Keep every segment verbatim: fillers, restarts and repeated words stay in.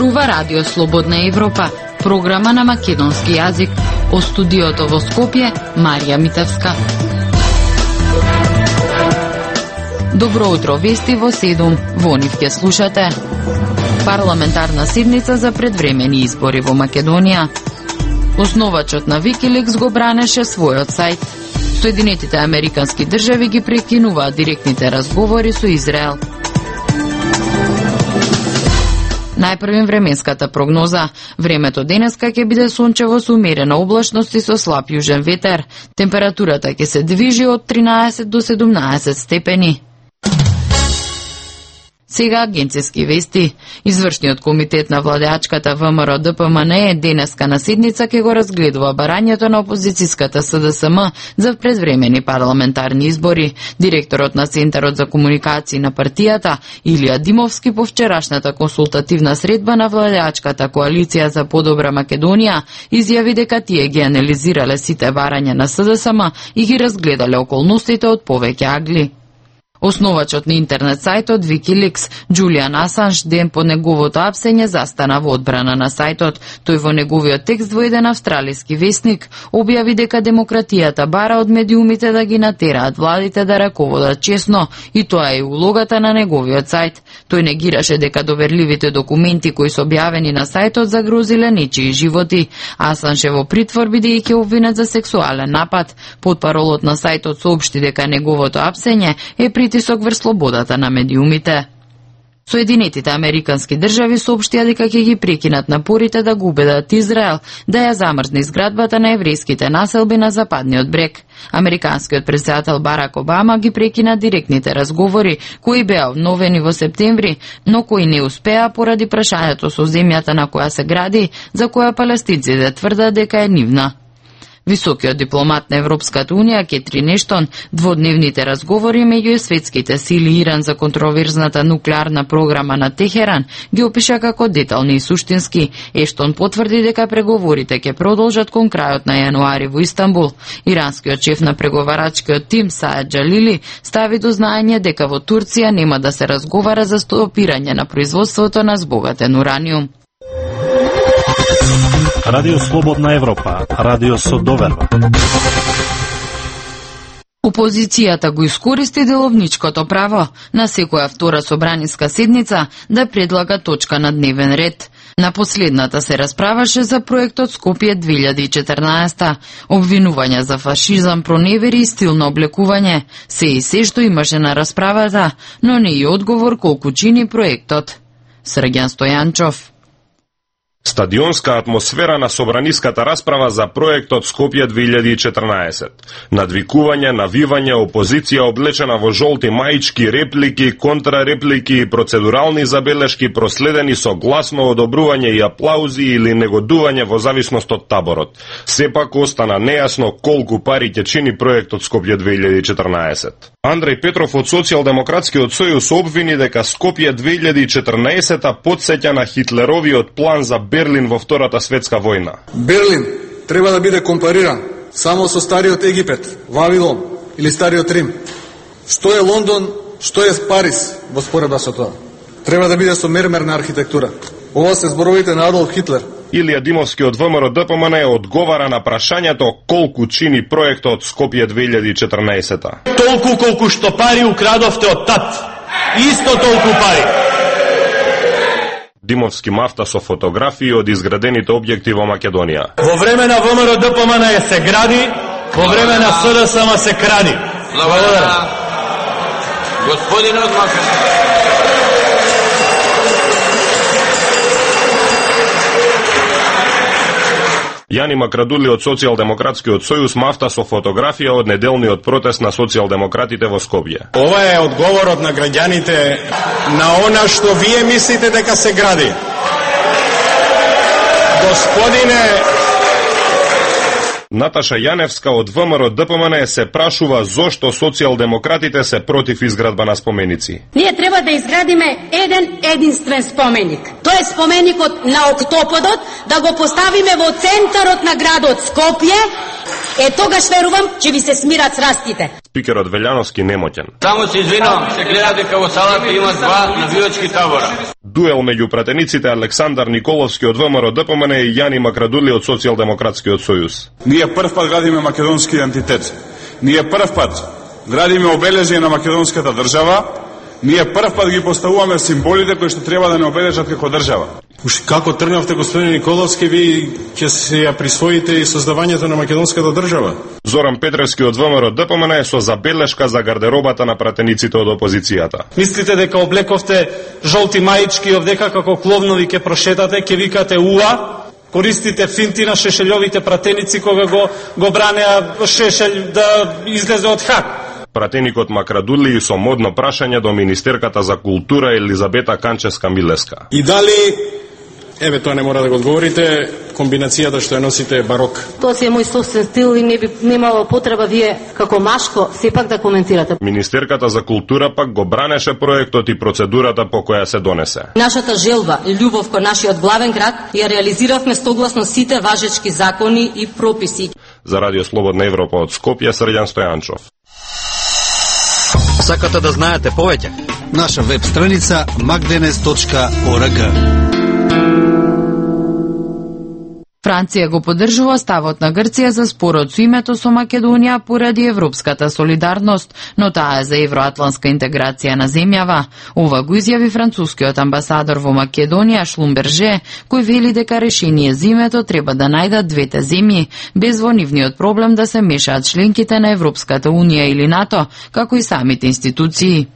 зборува Радио Слободна Европа, програма на македонски јазик. Од студиото во Скопје, Марија Митевска. Добро утро, вести во седум. Во нив ќе слушате. Парламентарна седница за предвремени избори во Македонија. Основачот на Викиликс го бранеше својот сајт. Соединетите американски држави ги прекинуваат директните разговори со Израел. Најпрвим временската прогноза. Времето денеска ќе биде сончево со умерена облачност и со слаб јужен ветер. Температурата ќе се движи од тринаесет до седумнаесет степени. Сега агенцијски вести. Извршниот комитет на владеачката ВМРО Д П М Н денеска на седница ќе го разгледува барањето на опозицијската С Д С М за предвремени парламентарни избори. Директорот на Центарот за комуникации на партијата Илија Димовски по вчерашната консултативна средба на владеачката коалиција за подобра Македонија изјави дека тие ги анализирале сите барања на С Д С М и ги разгледале околностите од повеќе агли. Основачот на интернет сајтот Викиликс, Џулијан Асанж, ден по неговото апсење застана во одбрана на сајтот. Тој во неговиот текст во еден австралиски весник објави дека демократијата бара од медиумите да ги натераат владите да раководат честно, и тоа е улогата на неговиот сајт. Тој негираше дека доверливите документи кои се објавени на сајтот загрозиле нечии животи. Асанж е во притвор бидејќи обвинет за сексуален напад. Потпаролот на сајтот соопшти дека неговото апсење е притисок врз слободата на медиумите. Соединетите американски држави соопштија дека ќе ги прекинат напорите да го убедат Израел да ја замрзне изградбата на еврејските населби на западниот брег. Американскиот претседател Барак Обама ги прекина директните разговори кои беа обновени во септември, но кои не успеа поради прашањето со земјата на која се гради, за која палестинците тврдат дека е нивна. Високиот дипломат на Европската Унија Кетрин Ештон дводневните разговори меѓу светските сили и Иран за контроверзната нуклеарна програма на Техеран ги опиша како детални и суштински. Ештон потврди дека преговорите ќе продолжат кон крајот на јануари во Истанбул. Иранскиот шеф на преговарачкиот тим Саед Џалили стави до знаење дека во Турција нема да се разговара за стопирање на производството на збогатен ураниум. Радио Слободна Европа, радио со доверба. Опозицијата го искористи деловничкото право на секоја втора собраниска седница да предлага точка на дневен ред. На последната се расправаше за проектот Скопје две илјади и четрнаесета, обвинувања за фашизам, проневери и стилно облекување. Се и се што имаше на расправата, но не и одговор колку чини проектот. Срѓан Стојанчов. Стадионска атмосфера на собраниската расправа за проектот Скопје две илјади и четрнаесет. Надвикување, навивање, опозиција облечена во жолти маички, реплики, контрареплики и процедурални забелешки проследени со гласно одобрување и аплаузи или негодување во зависност од таборот. Сепак остана нејасно колку пари ќе чини проектот Скопје две илјади и четрнаесет. Андреј Петров од Социјалдемократскиот сојуз обвини дека Скопје две илјади и четрнаесета потсеќа на Хитлеровиот план за Берлин во Втората светска војна. Берлин треба да биде компариран само со стариот Египет, Вавилон или стариот Рим. Што е Лондон, што е Париз во споредба со тоа? Треба да биде со мермерна архитектура. Ова се зборовите на Адолф Хитлер. Илија Димовски од ВМРО Д П М Н одговара на прашањето колку чини проектот Скопје две илјади и четрнаесета. Толку колку што пари украдовте од тат. Исто толку пари. Димовски мафта со фотографии од изградените објекти во Македонија. Во време на ВМРО Д П М Н се гради, во време на С Д С М се кради. Благодарам. Господинот Македонија. Јани Макрадули од Социјалдемократскиот сојуз мафта со фотографија од неделниот протест на социјалдемократите во Скопје. Ова е одговорот на граѓаните на она што вие мислите дека се гради. Господине, Наташа Јаневска од ВМРО Д П М Н се прашува зошто социјалдемократите се против изградба на споменици. Ние треба да изградиме еден единствен споменик. Тоа е споменикот на Октоподот, да го поставиме во центарот на градот Скопје. Е, тогаш верувам ќе ви се смират срастите. Спикерот Велјановски немоќен. Само се извинувам, се гледа дека во салата има два навијачки табора. дуел меѓу пратениците Александар Николовски од ВМРО Д П М Н и Јани Макрадули од Социјалдемократскиот сојуз. Ние прв пат градиме македонски идентитет. Ние прв пат градиме обележје на македонската држава. Ние прв пат ги поставуваме символите кои што треба да не обележат како држава. Уш како тргнавте, господин Николовски, ви ќе се ја присвоите и создавањето на македонската држава? Зоран Петревски од ВМРО Д П М Н е со забелешка за гардеробата на пратениците од опозицијата. Мислите дека облековте жолти маички, овдека како кловнови ќе прошетате, ќе викате уа, користите финти на Шешелјовите пратеници кога го, го бранеа Шешелј да излезе од хак. Пратеникот Макрадули и со модно прашање до министерката за култура Елизабета Канческа-Милеска. И дали, еве тоа не мора да го одговорите, комбинацијата што ја носите е барок? Тоа си е мој собствен стил и не би немало потреба вие како машко сепак да коментирате. Министерката за култура пак го бранеше проектот и процедурата по која се донесе. Нашата желба и љубов кон нашиот главен град ја реализиравме согласно сите важечки закони и прописи. За Радио Слободна Европа од Скопје, Срđan Стојанчов. Сакате да знаете повеќе? Наша веб страница magdenes точка org. Франција го поддржува ставот на Грција за спорот со името со Македонија поради европската солидарност, но таа е за евроатлантска интеграција на земјава. Ова го изјави францускиот амбасадор во Македонија Шлумберже, кој вели дека решение за името треба да најдат двете земји, без во нивниот проблем да се мешаат членките на Европската унија или НАТО, како и самите институции.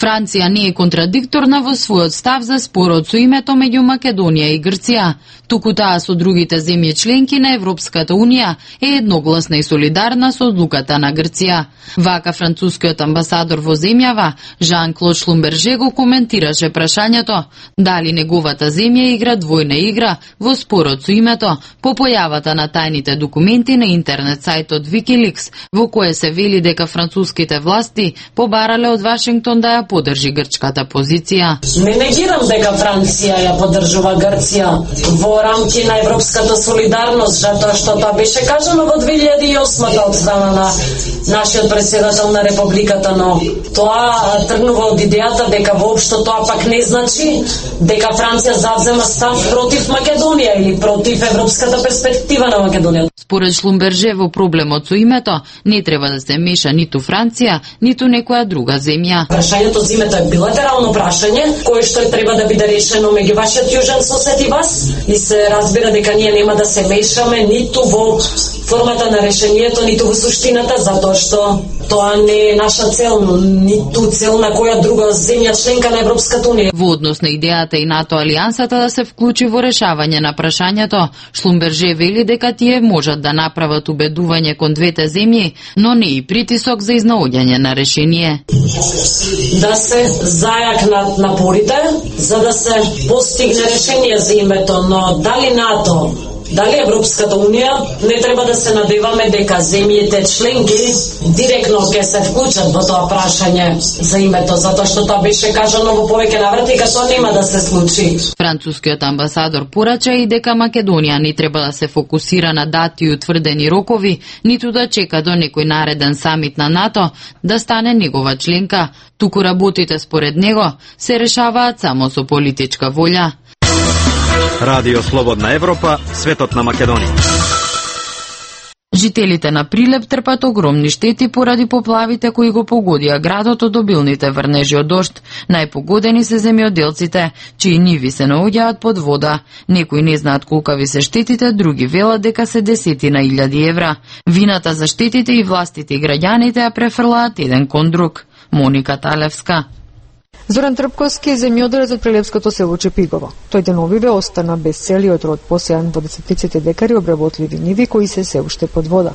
Франција не е контрадикторна во својот став за спорот со името меѓу Македонија и Грција, туку таа со другите земји членки на Европската унија е едногласна и солидарна со одлуката на Грција. Вака францускиот амбасадор во земјава, Жан-Клод Шлумберже, го коментираше прашањето дали неговата земја игра двојна игра во спорот со името по појавата на тајните документи на интернет сајтот Wikileaks, во кое се вели дека француските власти побарале од Вашингтон да ја поддржи грчката позиција. Не негирам дека Франција ја поддржува Грција во рамки на европската солидарност, затоа што тоа беше кажано во две илјади и осма од страна на нашиот председател на републиката, но тоа тргнува од идејата дека воопшто тоа пак не значи дека Франција завзема став против Македонија или против европската перспектива на Македонија. Според Шлумберже, во проблемот со името не треба да се меша ниту Франција, ниту некоја друга земја. Прашањето за името е билатерално прашање, кое што треба да биде решено меѓу вашиот јужен сосед и вас, и се разбира дека ние нема да се мешаме ниту во формата на решението, ниту во суштината, затоа што тоа не е наша цел, ниту цел на која друга земја членка на Европската унија. Во однос на идејата и НАТО алијансата да се вклучи во решавање на прашањето, Шлумберже вели дека тие можат да направат убедување кон двете земји, но не и притисок за изнаоѓање на решение. Да се зајакнат напорите за да се постигне решение за името, но дали НАТО, дали Европската унија, не треба да се надеваме дека земјите членки директно ќе се вклучат во тоа прашање за името, затоа што тоа беше кажано во повеќе наврати дека тоа нема да се случи. Францускиот амбасадор порача и дека Македонија не треба да се фокусира на дати и утврдени рокови, ниту да чека до некој нареден самит на НАТО да стане негова членка, туку работите според него се решаваат само со политичка волја. Радио Слободна Европа, светот на Македонија. Жителите на Прилеп трпат огромни штети поради поплавите кои го погодија градот од обилните врнежи од дожд. Најпогодени се земјоделците, чии ниви се наоѓаат под вода. Некои не знаат колкави се штетите, други велат дека се десетина илјади евра. Вината за штетите и властите и граѓаните ја префрлаат еден кон друг. Моника Талевска. Зоран Трпковски е земјоделец од прилепското село Чепигово. Тој деновиве остана без целиот род посејан во десетиците декари обработливи ниви кои се се уште под вода.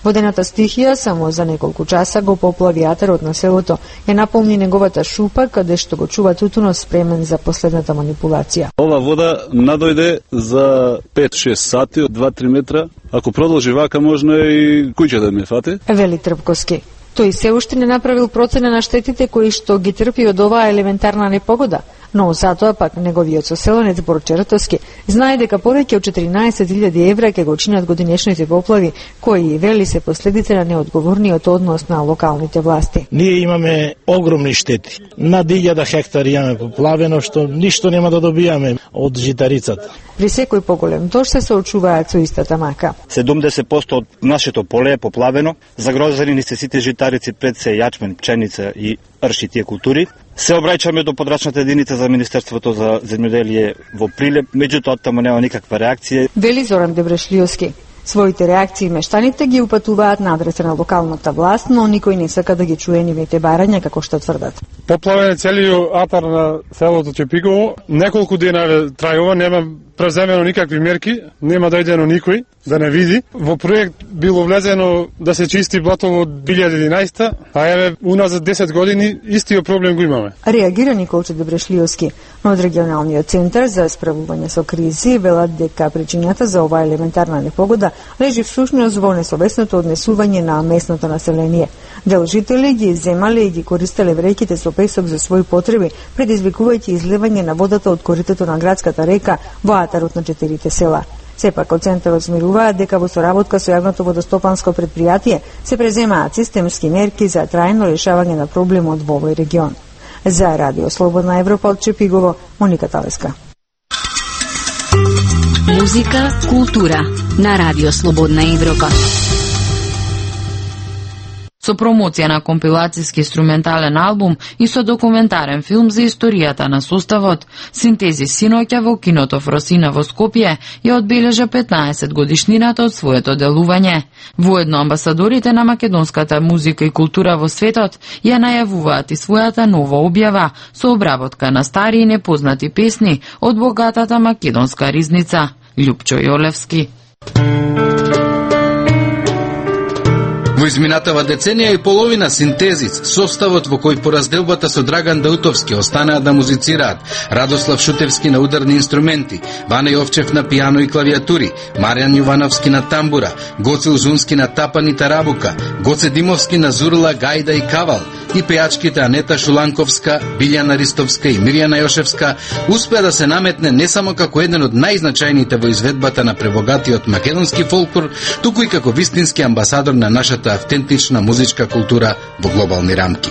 Водената стихија само за неколку часа го поплави атарот на селото, ја наполни неговата шупа каде што го чува тутунот спремен за последната манипулација. Ова вода надојде за пет-шест сати од два-три метра. Ако продолжи вака можно и куќа да ме фати. Вели Трпковски. Тој се уште не направил процена на штетите кои што ги трпи од оваа елементарна непогода, но затоа пак неговиот соселенец Борче Ратовски знае дека повеќе од четиринаесет илјади евра ќе го чинат годинешните поплави, кои вели се последица на неодговорниот однос на локалните власти. Ние имаме огромни штети. Над илјада хектари имаме поплавено, што ништо нема да добијаме од житарицата. При секој поголем дожд се соочуваат со истата мака. седумдесет проценти од нашето поле е поплавено, загрозени ни се сите житарици, пред се јачмен, пченица и рши тие култури. Се обраќаме до подрачната единица за Министерството за земјоделие во Прилеп, меѓутоа таму нема никаква реакција. Вели Зоран Дебрешлиовски. Своите реакции мештаните ги упатуваат на адреса на локалната власт, но никој не сака да ги чуе нивните барања, како што тврдат. Поплавен е целиот атар на селото Чепигово. Неколку дена трајува, нема преземено никакви мерки, нема дојдено никој да не види. Во проект било влезено да се чисти блатово од две илјади и единаесета, а еве уназад десет години истиот проблем го имаме. Реагира Николче Дебрешлиовски, но од регионалниот центар за справување со кризи велат дека причината за оваа елементарна непогода лежи всушност во несовесното однесување на местното население. Дел жители ги земале и ги користеле вреќите со песок за своји потреби, предизвикувајќи изливање на водата од коритото на градската река во атарот на четирите села. Сепак од центарот смируваат дека во соработка со јавното водостопанско предпријатие се преземаат системски мерки за трајно решавање на проблемот во овој регион. За Радио Слободна Европа од Чепигово, Моника Талеска. Музика, култура на Радио Слободна Европа. Со промоција на компилацијски инструментален албум и со документарен филм за историјата на составот, Синтези синоќа во киното Фросина во Скопје ја одбележа петнаесет годишнината од своето делување. Воедно амбасадорите на македонската музика и култура во светот ја најавуваат и својата нова објава со обработка на стари и непознати песни од богатата македонска ризница. Љупчо Јолевски. Во изминатава деценија и половина Синтезис, составот во кој по разделбата со Драган Даутовски останаа да музицираат, Радослав Шутевски на ударни инструменти, Вана Јовчев на пијано и клавиатури, Маријан Јувановски на тамбура, Гоце Узунски на тапан и тарабука, Гоце Димовски на зурла, гајда и кавал, и пејачките Анета Шуланковска, Билјана Ристовска и Мирјана Јошевска успеа да се наметне не само како еден од најзначајните во изведбата на пребогатиот македонски фолклор, туку и како вистински амбасадор на нашата автентична музичка култура во глобални рамки.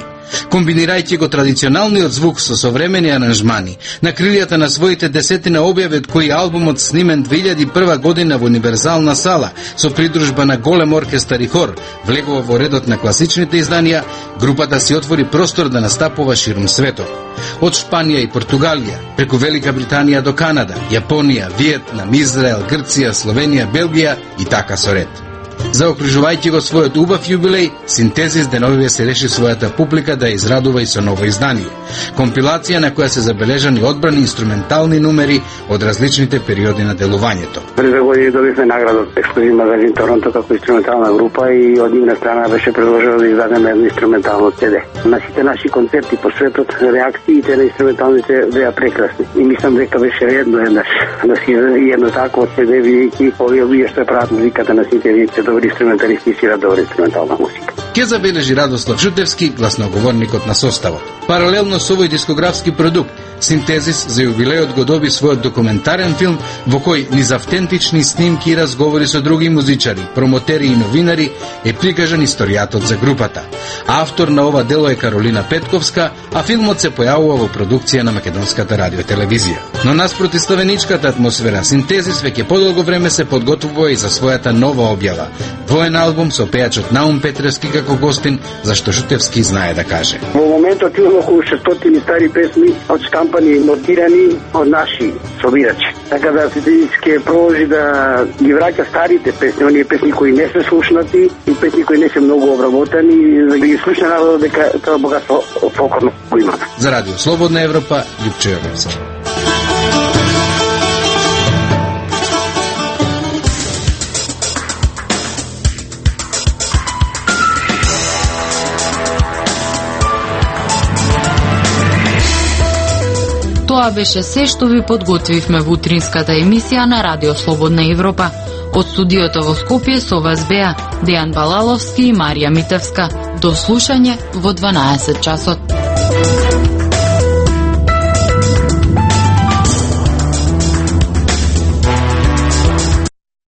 Комбинирајќи го традиционалниот звук со современи аранжмани, на крилјата на своите десетина објави, од кои албумот снимен две илјади и прва година во Универзална сала, со придружба на голем оркестар и хор, влегува во редот на класичните изданија, групата си отвори простор да настапува ширум светот. Од Шпанија и Португалија, преку Велика Британија до Канада, Јапонија, Виетнам, Израел, Грција, Словенија, Белгија и така со ред. Заокружувајќи го својот убав јубилеј, Синтезис деновиве се реши својата публика да израдува и со ново издание. Компилација на која се забележани одбрани инструментални numери од различните периоди на делувањето. Пред две години добивме награда од Ексклузив магазин Торонто како инструментална група и од нивна страна беше предложено да издадеме едно инструментално си ди. На сите наши концерти по светот реакциите на инструменталните беа прекрасни. И мислам дека беше редно еднаш да си издаде едно такво си ди, бидејќи овие луѓе што прават музиката на синтезите добри инструменталисти и свират добра инструментална музика. Ке забележи Радослав Шутевски, гласноговорникот на составот. Паралелно со овој дискографски продукт, Синтезис за јубилејот го доби својот документарен филм во кој низ автентични снимки и разговори со други музичари, промотери и новинари е прикажан историјатот за групата. Автор на ова дело е Каролина Петковска, а филмот се појавува во продукција на Македонската радиотелевизија. Но наспроти славеничката атмосфера, Синтезис веќе подолго време се подготвува и за својата нова објава. Воен албум со пејачот Наум Петревски како гостин, зашто Шутевски знае да каже. Во моментот имаме околу шестстотини стари песми од штампани, нотирани од наши собирачи. Така да Синтезис ќе продолжи да ги враќа старите песни, оние песни кои не се слушнати и песни кои не се многу обработени, да ги слуша народот дека тоа богатство фолклорно го има. За Радио Слободна Европа, Љупчо Јовевски. Тоа беше се што ви подготвивме во утринската емисија на Радио Слободна Европа. Од студиото во Скопје со вас беа Дејан Балаловски и Марија Митевска. До слушање во дванаесет часот.